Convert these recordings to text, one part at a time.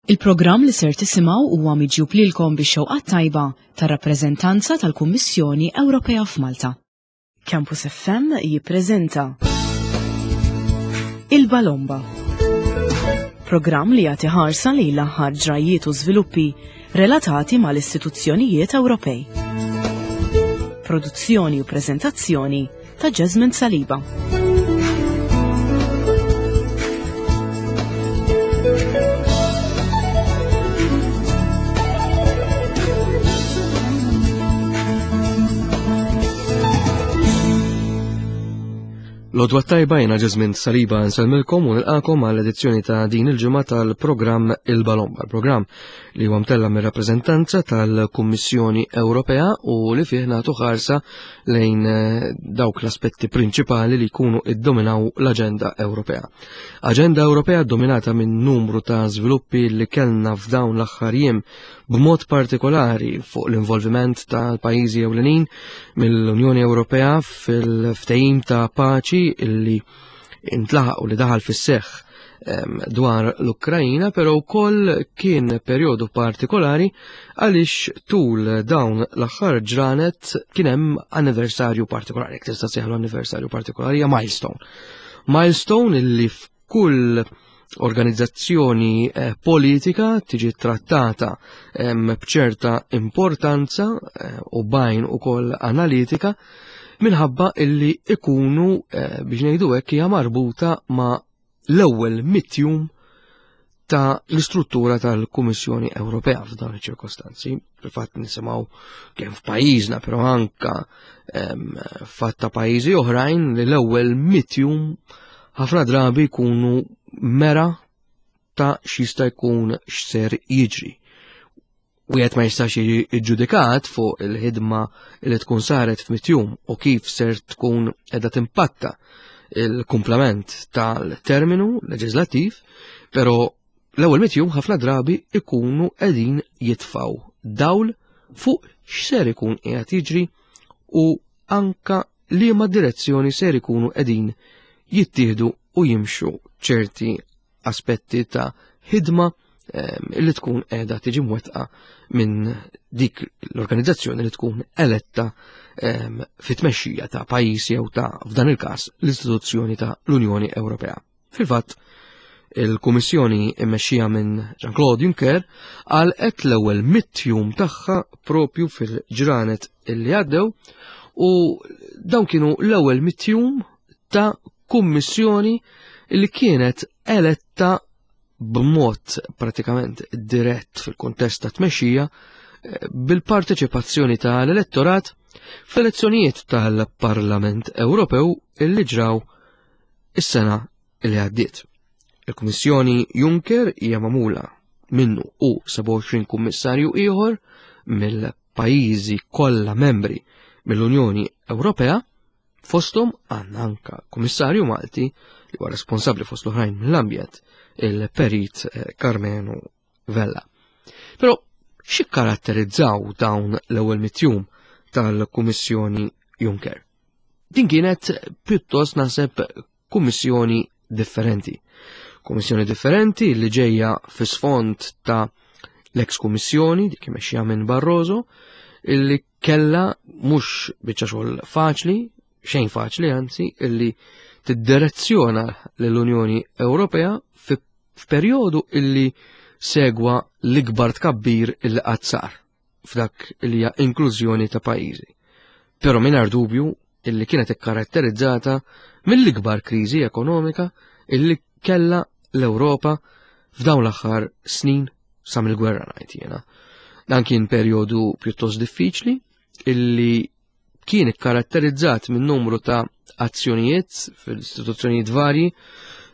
Il-programm li ser tisimgħu huwa miġjub lilkom bix-xewqat tajba tar-rappreżentanza tal-Kummissjoni Ewropea f'Malta. Campus FM jippreżenta Il-Balomba. Programm li jagħti ħarsa lejn l-aħħar ġrajjiet u żviluppi relatati mal-istituzzjonijiet Ewropej. Produzzjoni u preżentazzjoni ta' Jasmine Saliba. L-odwa tajba jena Jasmine Saliba nselmilkom u nilqakom għal edizzjoni ta' din il-ġimgħa tal-programm Il-Balomba, il-programm li huwa mtella mir-rappreżentanza tal-Kummissjoni Ewropea u li fih nagħtu ħarsa lejn eh, dawk l-aspetti prinċipali li jkunu iddominaw l-aġenda Ewropea. Aġenda Ewropea dominata minn numru ta' żviluppi li kellna f'dawn l-aħħar jiem b'mod partikolari fuq l-involviment tal-pajjiżi ewlenin mill-Unjoni Ewropea fil-ftehim ta' paċi illi intlaħaq u li daħal fis-seħħ dwar l-Ukrajina, però wkoll kien perjodu partikolari għaliex tul dawn l-aħħar ġranet kien hemm anniversarju partikolari, jekk tista' sejħlu anniversarju partikolari, hija milestone. Milestone illi f'kull organizzazzjoni eh, politika tiġi trattata b'ċerta importanza eh, u bajn ukoll analitika minħabba illi ikunu eh, biex ngħidu hekk hija marbuta ma' l-ewwel mitjum ta' l-istruttura tal-Kummissjoni Ewropea f'dawn iċ-ċirkostanzi. Fil-fatt nisimgħu kemm f'pajjiżna, però anka fatt ta' pajjiżi oħrajn li l-ewwel mitjum ħafna drabi jkunu mera ta' x'jista' jkun x'ser jiġri. Wieħed ma jistax jiġi ġġudikat fuq il-ħidma li tkun saret f'mitjum u kif ser tkun qiegħda timpatta il-kumplament tal-terminu leġislattiv, però l-ewwel mitjum ħafna drabi ikunu qegħdin jitfaw dawl fuq x'ser ikun qiegħed jiġri u anka liema direzzjoni ser ikunu qegħdin jittieħdu u jimxu ċerti aspetti ta' ħidma ehm, li tkun qiegħda tiġi mwettqa minn dik l-organizzazzjoni li tkun eletta ehm, fit-tmexxija ta' pajjiż jew ta' f'dan il-każ l-istituzzjoni ta' l-Unjoni Ewropea. Fil-fatt, il-Kummissjoni mmexxija minn Jean-Claude Juncker għalqet l-ewwel mit-jum tagħha propju fil-ġranet illi għaddew u dawn kienu l-ewwel mit-jum ta' kummissjoni li kienet eletta b'mod pratikament dirett fil-kontest ta' tmexxija eh, bil-parteċipazzjoni tal-elettorat fl-elezzjonijiet tal-Parlament Ewropew illi ġraw is-sena li għaddiet. Il-Kummissjoni Juncker hija magħmula minnu u 27 kummissarju ieħor mill-pajjiżi kollha membri mill-Unjoni Ewropea Fosthom għandna anka kummissarju Malti li huwa responsabbli fost l-oħrajn mill-ambjent, il-perit eh, Carmenu Vella. Però xi karatterizzaw dawn l-ewwel mitjum tal-Kummissjoni Juncker? Din kienet pjuttost naħseb kummissjoni differenti. Kummissjoni differenti li ġejja fi sfond ta' l-ex kummissjoni dik imexxija minn Barroso illi kella mhux biċċa xogħol faċli, xejn faċli anzi, illi tiddirezzjona lill-Unjoni Ewropea f'perjodu illi segwa l-ikbar tkabbir illi qatt sar f'dak li hija inklużjoni ta' pajjiżi. Però mingħajr dubju illi kienet ikkaratterizzata mill-ikbar kriżi ekonomika illi kella l-Ewropa f'dawn l-aħħar snin sa mill-gwerra ngħid jiena. Dan kien perjodu pjuttost diffiċli illi kien ikkaratterizzat minn numru ta' azzjonijiet fil-istituzzjonijiet varji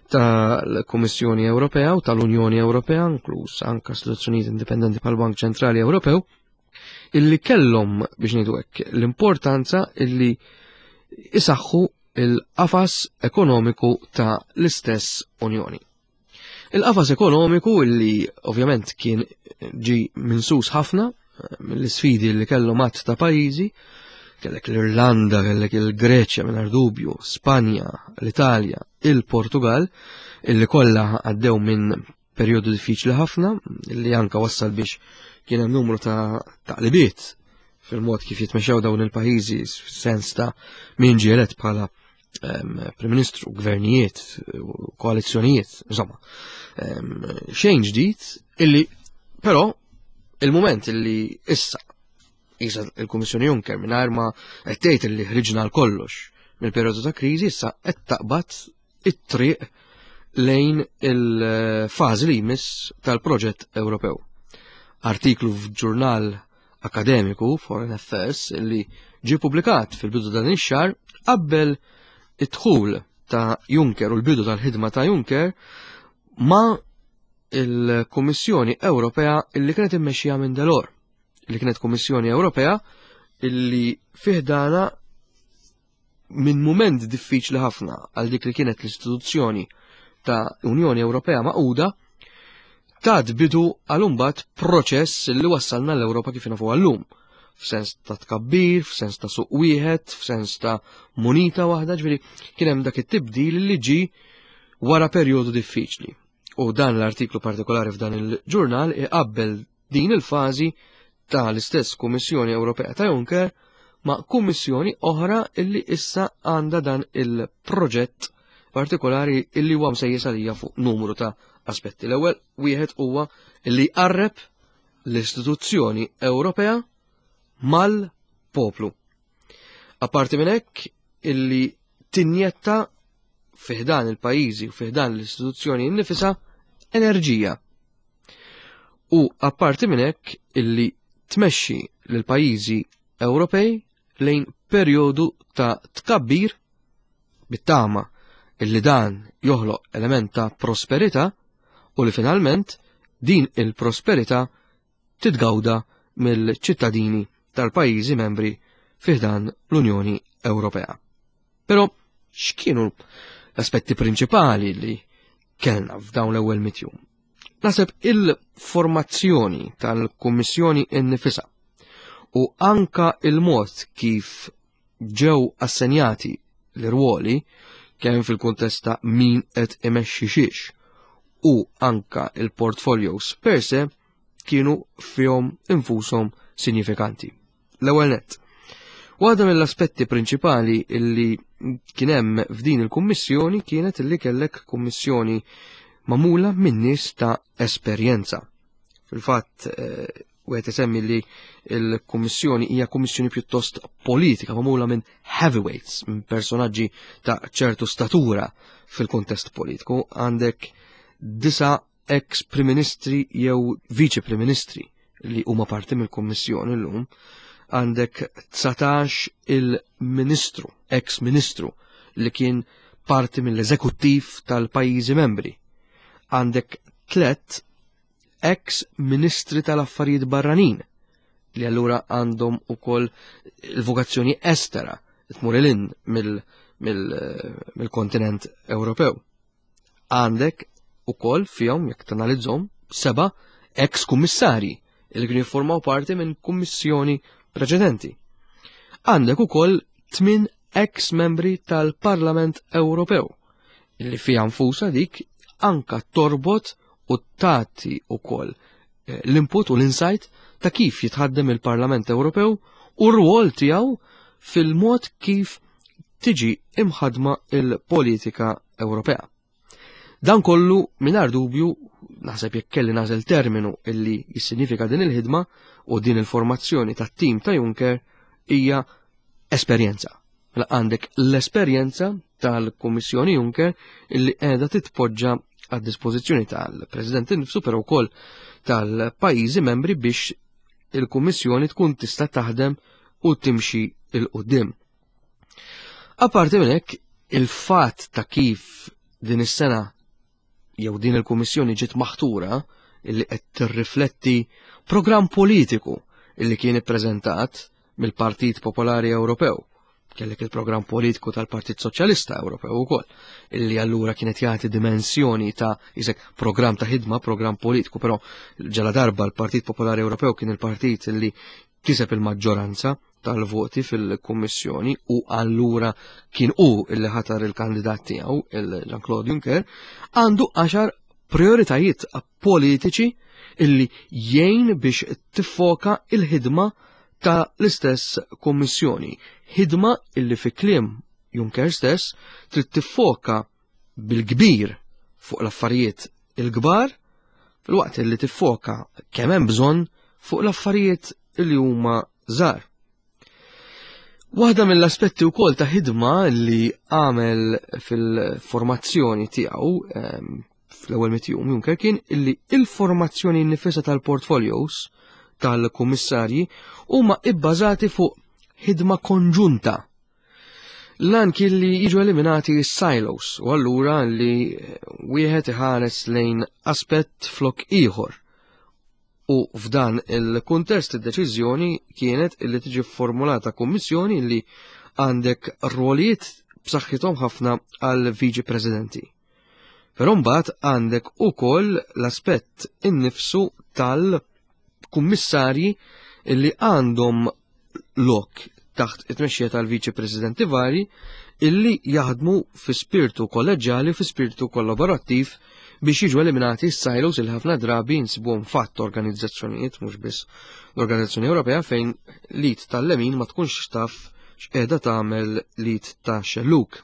tal-Kummissjoni Ewropea u tal-Unjoni Ewropea, inkluż anka istituzzjonijiet indipendenti bħal Bank Ċentrali Ewropew, illi kellhom biex ngħidu hekk l-importanza illi isaħħu il-qafas ekonomiku ta' l-istess Unjoni. Il-qafas ekonomiku illi ovvjament kien ġi minsus ħafna eh, mill-sfidi li kellu matt ta' pajjiżi, kellek l-Irlanda, kellek il-Greċja mingħajr dubju, Spanja, l-Italja, il-Portugal, illi kollha għaddew minn perjodu diffiċli ħafna li anka wassal biex kien hemm numru ta' taqlibiet fil-mod kif jitmexxew dawn il-pajjiżi f'sens ta' min ġie elett bħala Prim Ministru, gvernijiet, koalizzjonijiet, insomma. Xejn ġdid illi però il-moment illi issa isa il-Kummissjoni Juncker mingħajr ma qed tgħid illi ħriġna l kollox mill-perjodu ta' kriżi issa qed taqbad it-triq lejn il-fażi li jmiss tal-proġett Ewropew. Artiklu f'ġurnal akademiku Foreign Affairs li ġie publikat fil-bidu dan ix-xahar qabbel id-dħul ta' Juncker u l-bidu tal-ħidma ta' Juncker ma' il-Kummissjoni Ewropea illi kienet immexxija minn Delors, li kienet Kummissjoni Ewropea illi fiħdana minn mument diffiċli ħafna għal dik li kienet l-istituzzjoni ta' Unjoni Ewropea Magħquda tat bidu għal imbagħad proċess li wassalna l-Ewropa kif nafu għallum. F'sens ta' tkabbir, f'sens ta' suq wieħed, f'sens ta' munita waħda, ġifieri kien hemm dak it-tibdil li ġi wara perjodu diffiċli. U dan l-artiklu partikolari f'dan il-ġurnal iqabbel din il-fażi ta' l-istess Kummissjoni Ewropea ta' Juncker ma' kummissjoni oħra illi issa għandha dan il-proġett partikolari illi huwa msejjes għalija fuq numru ta' aspetti. L-ewwel wieħed huwa illi jqarreb l-istituzzjoni Ewropea mal-poplu. Apparti minn hekk illi tinjetta fiħdan il-pajjiżi u fiħdan l-istituzzjoni nnifisha enerġija. U apparti minn hekk illi tmexxi lil pajjiżi Ewropej lejn perjodu ta' tkabbir bit-tama illi dan joħloq element ta' prosperità u li finalment din il-prosperità titgawda mill-ċittadini tal-pajjiżi membri fiħdan l-Unjoni Ewropea. Però x'kienu l-aspetti prinċipali li kellna f'dawn l-ewwel mitjum? Naħseb il-formazzjoni tal-Kummissjoni innifisha u anka il-mod kif ġew assenjati l-irwoli kemm fil-kuntest ta' min qed imexxi xiex u anka il-portfolios per se kienu fihom infushom sinifikanti. L-ewwel nett. Waħda mill-aspetti prinċipali illi kien hemm f'din il-kummissjoni kienet illi kellek kummissjoni magħmula minn nies ta' esperjenza. Fil-fatt, eh, wieħed isemmi li l-kummissjoni hija kummissjoni pjuttost politika magħmula minn heavyweights, minn personaġġi ta' ċertu statura fil-kuntest politiku. Għandek disa ex Prim Ministri jew Viċi Prim Ministri li huma parti mill-Kummissjoni llum, għandek 19 il-Ministru, ex Ministru li kien parti mill-eżekuttiv tal-pajjiżi membri. Għandek tlet ex Ministri tal-Affarijiet Barranin li allura għandhom ukoll il-vokazzjoni estera tmur il mill-kontinent Ewropew. Għandek ukoll fihom jekk tanalizzhom seba' ex kummissarji li kienu jiffurmaw parti minn kummissjoni preċedenti. Għandek ukoll tmien ex membri tal-Parlament Ewropew li fiha nfusa dik anka torbot u tagħti ukoll eh, l-input u l-insight ta' kif jitħaddem il-Parlament Ewropew u r-rwol tiegħu fil-mod kif tiġi imħadma il-politika Ewropea. Dan kollu mingħajr dubju naħseb jekk kelli nażel terminu illi jissinifika din il-ħidma u din il-formazzjoni tat-tim ta' Juncker hija esperjenza. Mela għandek l-esperjenza tal-Kummissjoni Juncker illi qiegħda titpoġġa għad dispożizzjoni tal-President innifsu però wkoll tal-pajjiżi membri biex il-Kummissjoni tkun tista' taħdem u timxi il-qudiem. Apparti minn hekk, il-fatt ta' kif din is-sena jew din il-Kummissjoni ġiet maħtura illi qed tirrifletti programm politiku illi kien ippreżentat mill-Partit Popolari Ewropew. Kellek il-programm politiku tal-Partit Soċjalista Ewropew ukoll, illi allura kienet jagħti dimensjoni ta' isek programm ta' ħidma, programm politiku, però ġala darba l-Partit Popolari Ewropew kien il-partit illi kiseb il-maġġoranza tal-voti fil-Kummissjoni u allura kien hu illi ħatar il-kandidat tiegħu, il-Jean-Claude Juncker, għandu 10 prioritajiet politiċi illi jgħin biex tiffoka il-ħidma ta' l-istess Kummissjoni. Ħidma illi fi kliem Juncker stess trid tiffoka bil-kbir fuq l-affarijiet il-kbar filwaqt illi tiffoka kemm hemm bżonn fuq l-affarijiet illi huma żgħar. Waħda mill-aspetti wkoll ta' ħidma li għamel fil-formazzjoni tiegħu ehm, fl-ewwel mitjum Juncker kien illi il-formazzjoni nifisha tal-portfolios tal-kummissarji huma ibbażati fuq ħidma konġunta. Lan kien li jiġu eliminati s-silos u allura li wieħed iħares lejn aspett flok ieħor U f'dan il-kuntest id-deċiżjoni kienet illi tiġi formulata kummissjoni li għandek rwolijiet b'saħħithom ħafna għal viċi presidenti. Però mbagħad għandek ukoll l-aspett innifsu tal-kummissarji illi għandhom lok taħt it-tmexxija tal-viċi presidenti vari illi jaħdmu fi spirtu kolleġġjali fi spirtu kollaborattiv biex jiġu eliminati s-silos il ħafna drabi nsibuhom fatt organizzazzjonijiet mhux biss l-Organizzazzjoni Ewropea fejn lit tal-lemin ma tkunx taf x'qiegħda tagħmel lit ta' xelluk.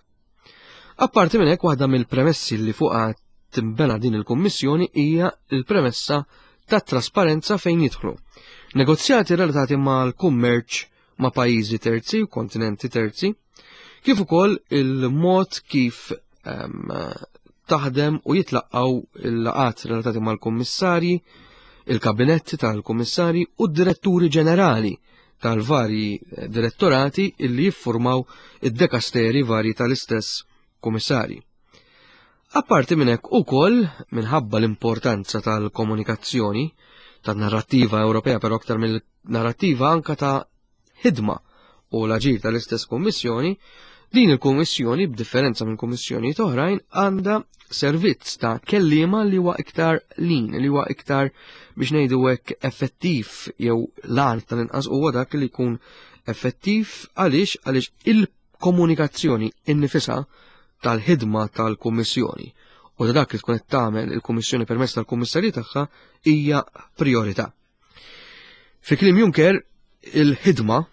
Apparti minn hekk waħda mill-premessi li fuqha timbena din il-Kummissjoni hija l-premessa ta' trasparenza fejn jidħlu. Negozjati relatati mal-kummerċ ma' pajjiżi terzi u kontinenti terzi, kif ukoll il-mod kif um, taħdem u jitlaqqaw il-laqat relatati mal-kummissarji, il-kabinetti tal-kummissarji u d-diretturi ġenerali tal-varji eh, direttorati illi jiffurmaw id-dekasteri varji tal-istess kummissarji. Apparti minn hekk ukoll minħabba l-importanza tal-komunikazzjoni, tan-narrattiva Ewropea però aktar mill-narrattiva anka ta' ħidma u l-aġir tal-istess kummissjoni, din il-kummissjoni b'differenza minn kummissjonijiet oħrajn għandha servizz ta' kelliema li huwa iktar lin, li huwa iktar biex ngħidu hekk effettiv jew l-għan tal-inqas huwa dak li jkun effettiv għaliex għaliex il-komunikazzjoni innifisha tal-ħidma tal-Kummissjoni u ta' dak li tkun qed tagħmel il-Kummissjoni permezz tal-Kummissarji tagħha hija priorità. Fi kliem Juncker, il-ħidma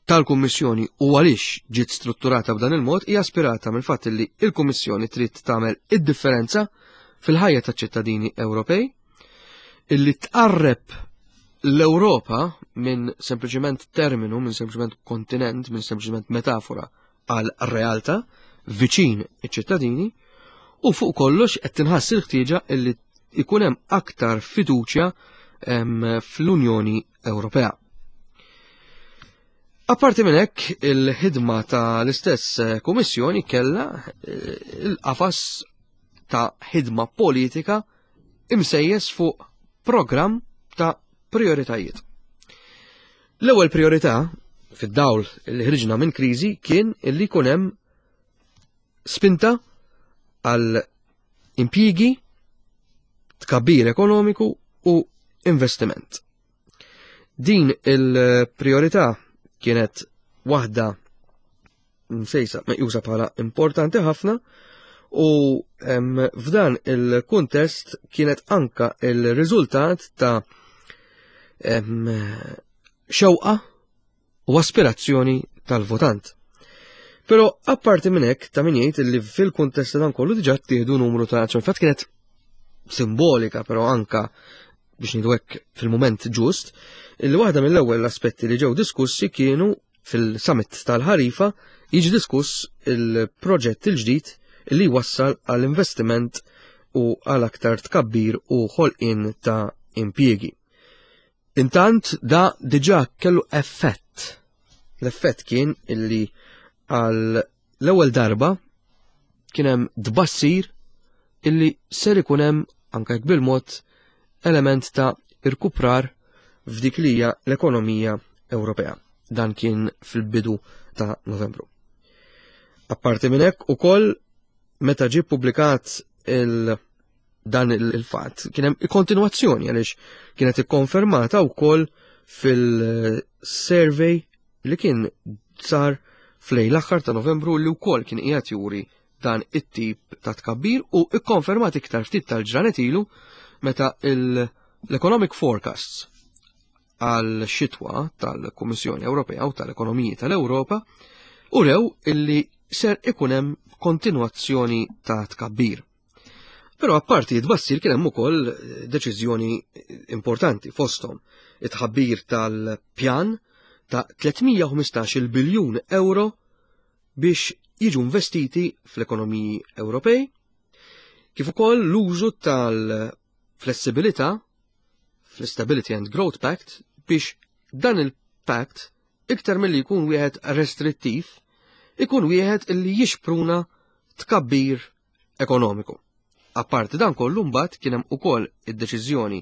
tal-Kummissjoni u għaliex ġiet strutturata b'dan il-mod hija aspirata mill-fatt li il-Kummissjoni trid tagħmel id-differenza fil-ħajja taċ-ċittadini Ewropej illi tqarreb l-Ewropa minn sempliċement terminu, minn sempliċement kontinent, minn sempliċement metafora għal realtà viċin iċ-ċittadini u fuq kollox qed tinħass il-ħtieġa illi ikun hemm aktar fiduċja fl-Unjoni Ewropea. Apparti minn hekk, il-ħidma ta' l-istess eh, kummissjoni kellha eh, il-qafas ta' ħidma politika imsejjes fuq programm ta' prioritajiet. L-ewwel priorità fid-dawl li ħriġna minn kriżi kien illi jkun hemm spinta għal impjigi, tkabbir ekonomiku u investiment. Din il-priorità kienet waħda msejsa meqjusa bħala importanti ħafna u f'dan il-kuntest kienet anka il-riżultat ta' xewqa u aspirazzjoni tal-votant. Però apparti minn hekk ta' min jgħid li fil-kuntest ta' dan kollu diġà ttieħdu numru ta' azzjoni. Fatt kienet simbolika però anka biex ngħidu hekk fil-mument ġust, illi waħda mill-ewwel aspetti li ġew diskussi kienu fil-summit tal-ħarifa jiġi diskuss il-proġett il-ġdid li wassal għall investiment u għal aktar tkabbir u ħolqien ta' impjiegi. Intant da diġà kellu effett. L-effett kien illi għal l-ewwel darba kien hemm tbassir illi ser ikun hemm anke jekk bil-mod element ta' irkuprar f'dik li hija l-ekonomija Ewropea. Dan kien fil-bidu ta' Novembru. Apparti minn hekk ukoll meta ġie ppubblikat il- dan il-fatt kien hemm kontinwazzjoni għaliex kienet ikkonfermata wkoll fil-survey li kien sar fl-lejl l-aħħar ta' Novembru li wkoll kien qiegħed juri dan it-tip ta' tkabbir u ikkonfermat iktar ftit tal-ġranet ilu meta l-Economic Forecasts għal xitwa tal-Kummissjoni Ewropea u tal-Ekonomiji tal-Ewropa urew illi ser ikun hemm kontinwazzjoni ta' tkabbir. Però apparti tbassir kien hemm ukoll deċiżjoni importanti fosthom it-tħabbir tal-pjan ta' 315 biljun euro biex jiġu investiti fl-ekonomiji Ewropej, kif ukoll l-użu tal-flessibilità fl-Stability and Growth Pact biex dan il-pact iktar milli jkun wieħed restrittiv, ikun wieħed illi jixpruna tkabbir ekonomiku. Apparti dan kollu mbagħad kien hemm ukoll id-deċiżjoni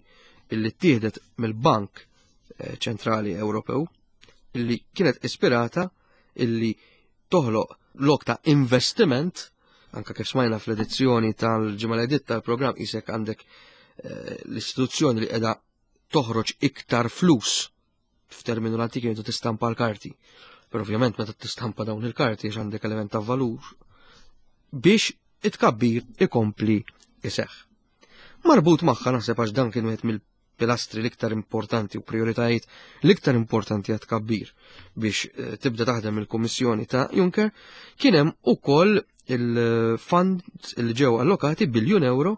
illi ttieħdet mill-Bank eh, Ċentrali Ewropew illi kienet ispirata illi toħloq lok ta' investiment anka kif smajna fl-edizzjoni tal-ġimgħa li tal-programm isek għandek eh, l-istituzzjoni li qiegħda toħroġ iktar flus f'terminu l-antik jgħidu tistampa l-karti. Però ovvjament meta tistampa dawn il-karti għax għandek element ta' valur biex it-kabbir ikompli iseħħ. Marbut magħha naħseb għax dan kien wieħed mill-pilastri l-iktar importanti u prioritajiet l-iktar importanti għat kabbir biex eh, tibda taħdem il-Kummissjoni ta' Juncker, kien hemm ukoll il-fund li ġew allokati biljun euro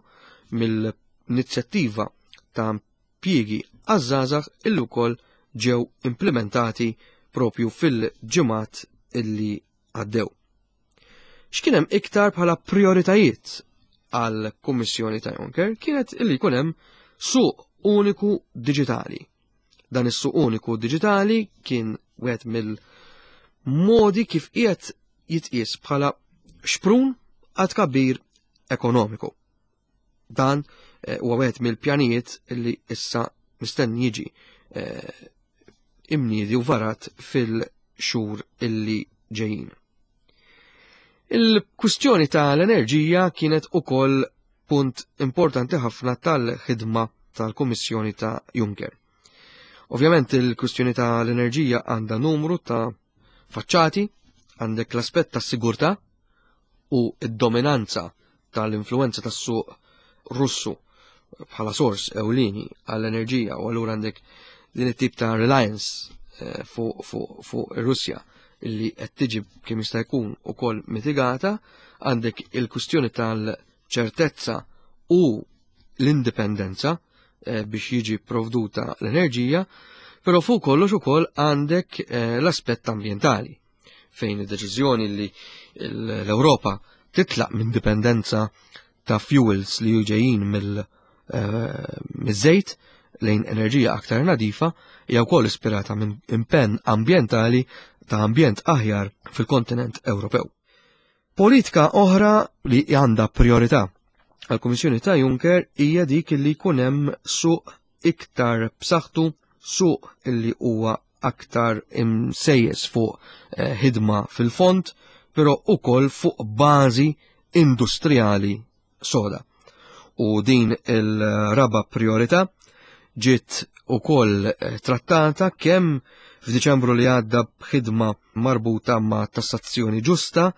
mill-inizjattiva ta' impjiegi għaż-żgħażagħ illi wkoll ġew implimentati propju fil-ġimgħat illi għaddew. X'kien hemm iktar bħala prioritajiet għal Kummissjoni ta' Juncker kienet illi jkun hemm suq uniku diġitali. Dan is-suq uniku diġitali kien wieħed mill-modi kif qiegħed jitqies bħala xprun għad kabbir ekonomiku. Dan eh, huwa wieħed mill-pjanijiet li issa mistenni jiġi eh, imniedi u varat fil-xhur illi ġejjin. Il-kwistjoni tal-enerġija kienet ukoll punt importanti ħafna tal-ħidma tal-Kummissjoni ta' Juncker. Ovvjament il-kwistjoni tal-enerġija għandha numru ta' faċċati, għandek l-aspett tas-sigurtà u d-dominanza tal-influenza tas-suq Russu bħala sors ewlieni għall-enerġija u allura għandek din it-tip ta' reliance eh, fuq fu, fu ir-Russja illi qed tiġi kemm jista' jkun ukoll mitigata, għandek il-kwistjoni tal-ċertezza u l-indipendenza eh, biex jiġi provduta l-enerġija, però fuq kollox ukoll għandek eh, l-aspett ambjentali fejn id-deċiżjoni li l-Ewropa titlaq minn dipendenza ta' fuels li ġejjin mill-żejt eh, lejn enerġija aktar nadifa hija wkoll ispirata minn impenn ambjentali ta' ambjent aħjar fil-kontinent Ewropew. Politika oħra li għandha priorità għall-Kummissjoni ta' Juncker hija dik li jkun hemm suq iktar b'saħħtu, suq li huwa aktar imsejjes fuq eh, ħidma fil-fond, però ukoll fuq bażi industrijali soda. U din il-raba priorità ġiet ukoll eh, trattata kemm f'Diċembru li għadda b'ħidma marbuta ma' tassazzjoni ġusta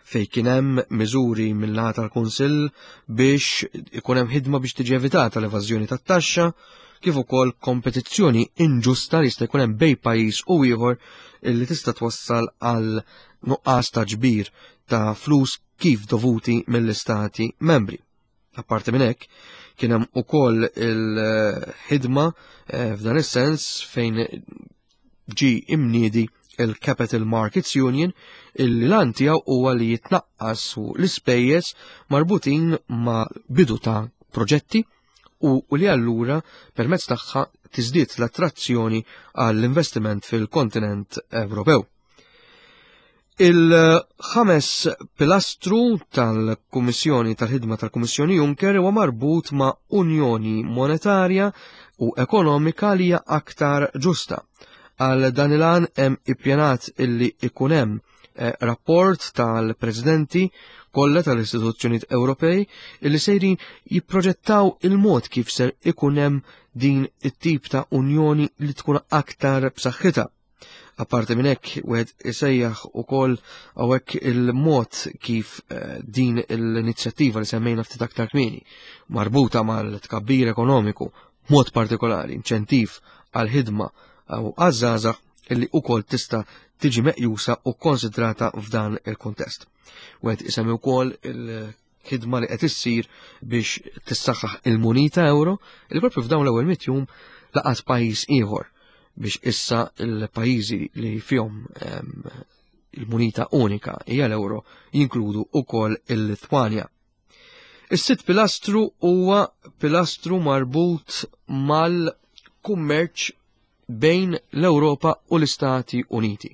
fej kien hemm miżuri mill-naħa tal-Kunsill biex ikun hemm ħidma biex tiġi evitata l-evażjoni tat-taxxa, kif ukoll kompetizzjoni inġusta li jista' jkun hemm bej pajjiż u ieħor li tista' twassal għal nuqqas ta' ġbir ta' flus kif dovuti mill-istati membri. Apparti minn hekk, kien hemm ukoll il-ħidma eh, f'dan is-sens fejn ġi imniedi il-Capital Markets Union illi lan tiegħu huwa li jitnaqqas l-ispejjeż marbutin ma' bidu ta' proġetti u li allura permezz tagħha tiżdied l-attrazzjoni għall-investiment fil-kontinent Ewropew. Il-ħames pilastru tal-Kummissjoni tal-ħidma tal-Kummissjoni Juncker huwa marbut ma' Unjoni Monetarja u Ekonomika li hija aktar ġusta. Għal dan il-għan hemm ippjanat illi ikun hemm eh, rapport tal-presidenti kollha tal-istituzzjonijiet Ewropej illi sejrin jipproġettaw il-mod kif ser ikun hemm din it-tip ta' unjoni li tkun aktar b'saħħitha. Apparti minn hekk wieħed isejjaħ ukoll hawnhekk il-mod kif eh, din l-inizjattiva li semmejna ftit aktar kmieni marbuta mal-tkabbir ekonomiku mod partikolari inċentiv għal-ħidma u għaż-żgħażagħ illi ukoll tista' tiġi meqjusa u konsidrata f'dan il-kuntest. Wieħed isemmi wkoll il-ħidma li qed issir biex tissaħħaħ il-munita euro li propju f'dawn l-ewwel mitjum laqas pajjiż ieħor biex issa il-pajjiżi li fihom il-munita unika hija l-euro jinkludu ukoll il-Litwanja. Is-sitt pilastru huwa pilastru marbut mal-kummerċ bejn l-Ewropa u l-Istati Uniti.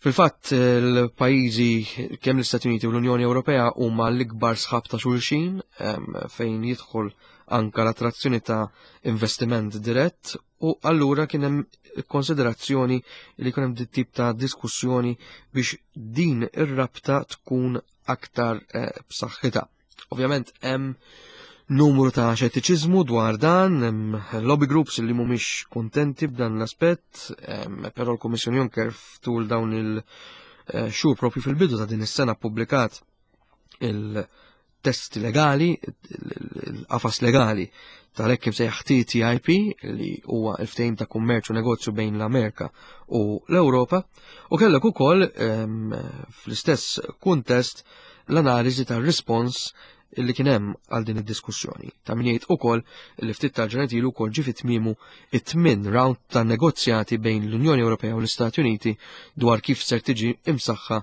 Fil-fatt, il-pajjiżi kemm l-Istati Uniti u l-Unjoni Ewropea huma l-ikbar sħab ta' xulxin fejn jidħol anka l-attrazzjoni ta' investiment dirett u allura kien hemm konsiderazzjoni li kien hemm tip ta' diskussjoni biex din ir-rabta tkun aktar eh, b'saħħitha. Ovvjament hemm numru ta' xettiċiżmu dwar dan, hemm lobby groups li mhumiex kuntenti b'dan l-aspett, però l-Kummissjoni Juncker ftul dawn il-xhur eh, propju fil-bidu ta' din is-sena ppubblikat il-testi legali, il-qafas legali tal-hekk imsejjaħ TTIP li huwa l-ftehim ta' kummerċ u negozju bejn l-Amerika u l-Ewropa u kellek ukoll fl-istess kuntest l-analiżi tar-rispons li kien hemm għal din id-diskussjoni. Ta' min jgħid ukoll li ftit tal-ġranet ilu wkoll ġie tmiemu it-tmien round ta' negozjati bejn l-Unjoni Ewropea u l-Istati Uniti dwar kif ser tiġi imsaħħa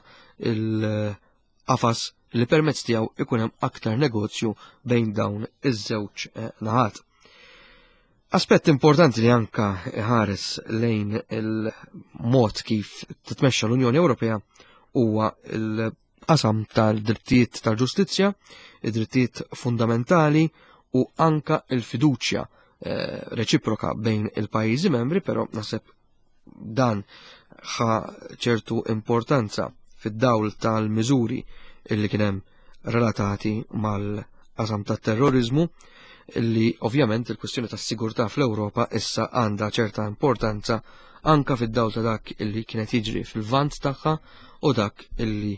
il-qafas li permezz tiegħu ikun hemm aktar negozju bejn dawn iż-żewġ eh, naħat. Aspett importanti li anka ħares lejn il-mod kif titmexxa l-Unjoni Ewropea huwa il qasam tal-drittijiet tal-ġustizzja, id-drittijiet fundamentali u anka il-fiduċja eh, reċiproka bejn il-pajjiżi membri, però naħseb dan ħa ċertu importanza fid-dawl tal-miżuri illi kien hemm relatati mal-qasam tat-terrorizmu li ovvjament il-kwestjoni tas-sigurtà fl-Ewropa issa għandha ċerta importanza anka fid-dawl ta' dak illi kienet jiġri fil-vant tagħha u dak illi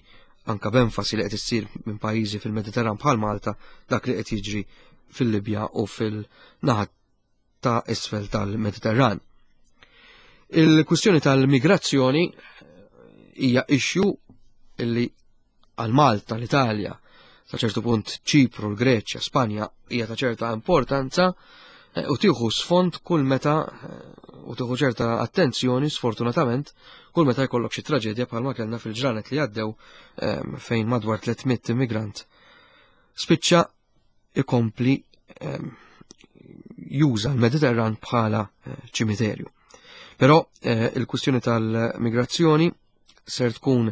anka b'enfasi li qed issir minn pajjiżi fil-Mediterran bħal Malta dak li qed jiġri fil-Libja u fil-naħat ta' isfel tal-Mediterran. Il-kwistjoni tal-migrazzjoni hija issue illi għal Malta, l-Italja, sa ċertu punt Ċipru, l-Greċja, Spanja hija ta' ċerta importanza eh, u tieħu sfond kull meta eh, u tieħu ċerta attenzjoni sfortunatament kull meta jkollok xi traġedja bħalma kellna fil-ġranet li għaddew eh, fejn madwar 300 immigrant spiċċa ikompli juża l-Mediterran bħala ċimiterju. Però il-kwistjoni tal-migrazzjoni ser tkun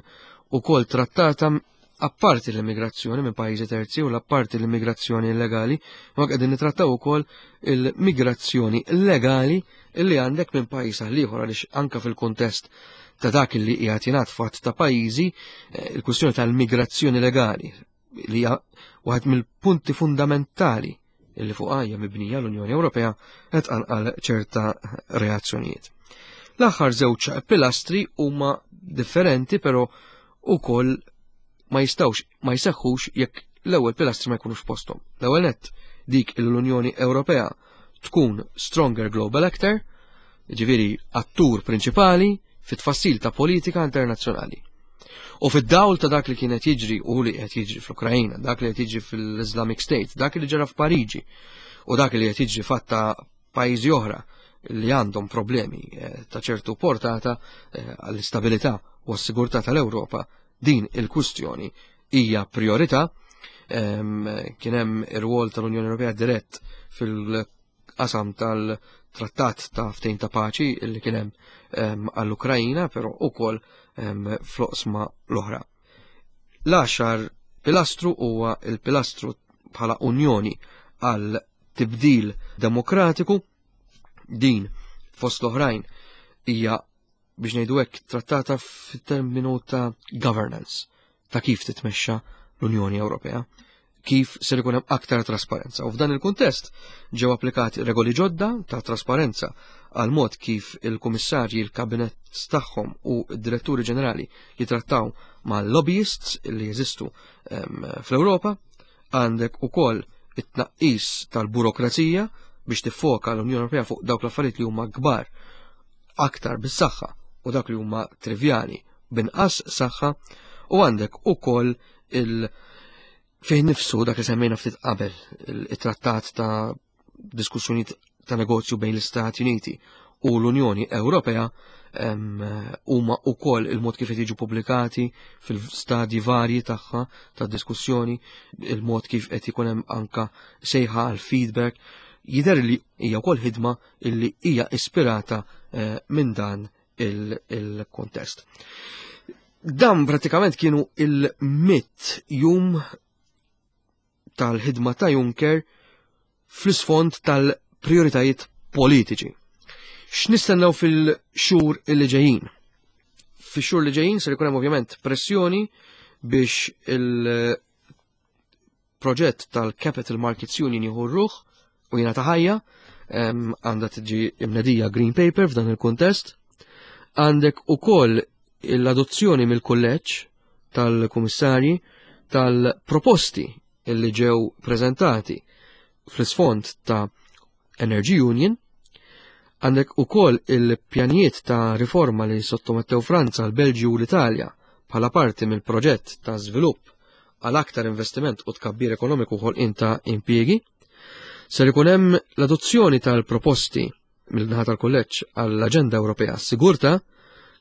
ukoll trattata apparti l-immigrazzjoni minn pajjiżi terzi u l-apparti l-immigrazzjoni illegali, ma qegħdin nitrattaw ukoll il-migrazzjoni legali illi għandek minn pajjiż għal ieħor għaliex anka fil-kuntest ta' dak li qiegħed jingħad fatt ta' pajjiżi, eh, il-kwistjoni tal-migrazzjoni legali li hija waħed mill-punti fundamentali illi fuq hija mibnija l-Unjoni Ewropea qed tqanqal ċerta reazzjonijiet. L-aħħar żewġ pilastri huma differenti però ukoll ma jistgħux ma jseħħux jekk l-ewwel pilastri ma jkunux posthom. L-ewwel nett dik l-Unjoni Ewropea tkun stronger global actor, ġifieri attur prinċipali fit-tfassil ta' politika internazzjonali. U fid-dawl ta' dak li kienet jiġri u li qed jiġri fl-Ukrajina, dak li qed jiġri fil-Islamic State, dak li ġara f'Pariġi u dak li qed jiġri fatta pajjiżi oħra li għandhom problemi eh, ta' ċertu portata eh, għall-istabilità u għas-sigurtà tal-Ewropa, din il-kwistjoni hija priorità. Ehm, kien hemm ir-rwol tal-Unjoni Ewropea dirett fil qasam tal-trattat ta' ftehim ta' paċi li kien hemm ehm, għall-Ukrajina, però ukoll ehm, fl-oqsma l-oħra. L-għaxar pilastru huwa il-pilastru bħala unjoni għal tibdil demokratiku din fost l-oħrajn hija biex ngħidu hekk trattata f'terminu ta' governance ta' kif titmexxa l-Unjoni Ewropea, kif ser ikun hemm aktar trasparenza. U f'dan il-kuntest ġew applikati regoli ġodda ta' trasparenza għal mod kif il-kummissarji, il-kabinett tagħhom u d-diretturi ġenerali jitrattaw ma' lobbyists li jeżistu fl-Ewropa, għandek ukoll it-tnaqqis tal-burokrazija biex tiffoka l-Unjoni Ewropea fuq dawk l-affarijiet li huma kbar aktar bis-saħħa u dak li huma trivjali binqas saħħa u għandek ukoll il- fih nifsu dak li semmejna ftit qabel it-trattat ta' diskussjonijiet ta' negozju bejn l-Istati Uniti u l-Unjoni Ewropea huma wkoll il-mod kif qed jiġu pubblikati fil-stadji varji tagħha ta' diskussjoni, il-mod kif qed ikun hemm anka sejħa għal feedback, jidher li hija wkoll ħidma illi hija ispirata eh, minn dan il-kontest. Dan pratikament kienu il-mit jum tal-ħidma ta' Juncker fl-isfond tal-prioritajiet politiċi. X'nistennew fil-xhur li ġejjin? Fix-xhur li ġejjin ser ikun hemm ovvjament pressjoni biex il-proġett tal-Capital Markets Union jieħu ruħ u jingħata ħajja, għandha tiġi imnedija Green Paper f'dan il-kuntest. Għandek ukoll l-adozzjoni mill-kulleġġ tal-kummissarji tal-proposti li ġew preżentati fl-isfond ta' Energy Union, għandek ukoll il-pjanijiet ta' riforma li sottomettew Franza, l-Belġju u l-Italja bħala parti mill-proġett ta' żvilupp għal aktar investiment u tkabbir ekonomiku ħolqien ta' impjiegi. Ser ikun hemm l-adozzjoni tal-proposti mill-naħa tal-kulleġġ għall-Aġenda Ewropea għas-Sigurtà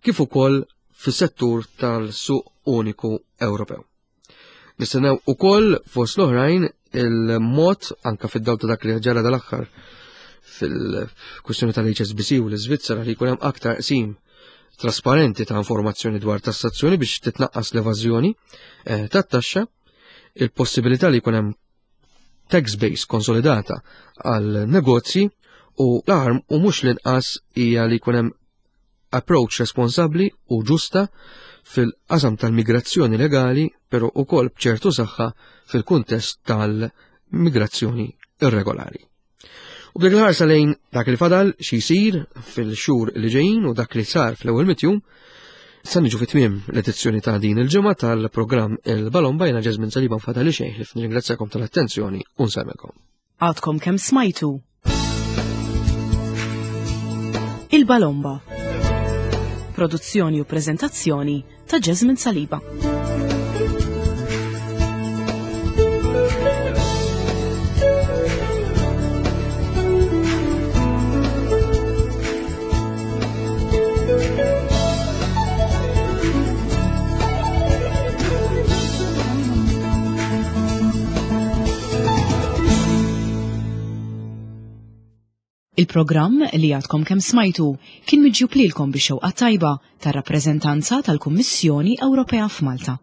kif ukoll fis-settur tal-suq uniku Ewropew. Nistennew ukoll fost l-oħrajn il-mod anka fid-dawl ta' dak li ġara dal-aħħar fil-kwistjoni tal-HSBC u l-Iżvizzera li jkun hemm aktar qsim trasparenti ta' informazzjoni dwar tassazzjoni biex titnaqqas l-evażjoni eh, tat-taxxa, il-possibilità li jkun hemm tax base konsolidata għal negozji u l-aħar u mhux l-inqas hija li jkun hemm approach responsabbli u ġusta fil-qasam tal-migrazzjoni legali, però ukoll b'ċertu saħħa fil-kuntest tal-migrazzjoni irregolari. U b'dik il-ħarsa lejn dak li fadal xi jsir fil-xhur li ġejjin u dak li sar fl-ewwel mitjum, sa niġu fit-tmiem l-edizzjoni ta' din il-ġimgħa tal-programm Il-Balon bajna Ġeżmin Saliba nfadal li xejn ħlif nirringrazzjakom tal-attenzjoni u nsemmilkom. Għadkom kemm smajtu Il-Balomba. Produzzjoni u prezentazzjoni ta' Jasmine Saliba. Il-programm li għadkom kemm smajtu kien miġjub lilkom bix-xewqa tajba tar-rappreżentanza tal-Kummissjoni Ewropea f'Malta.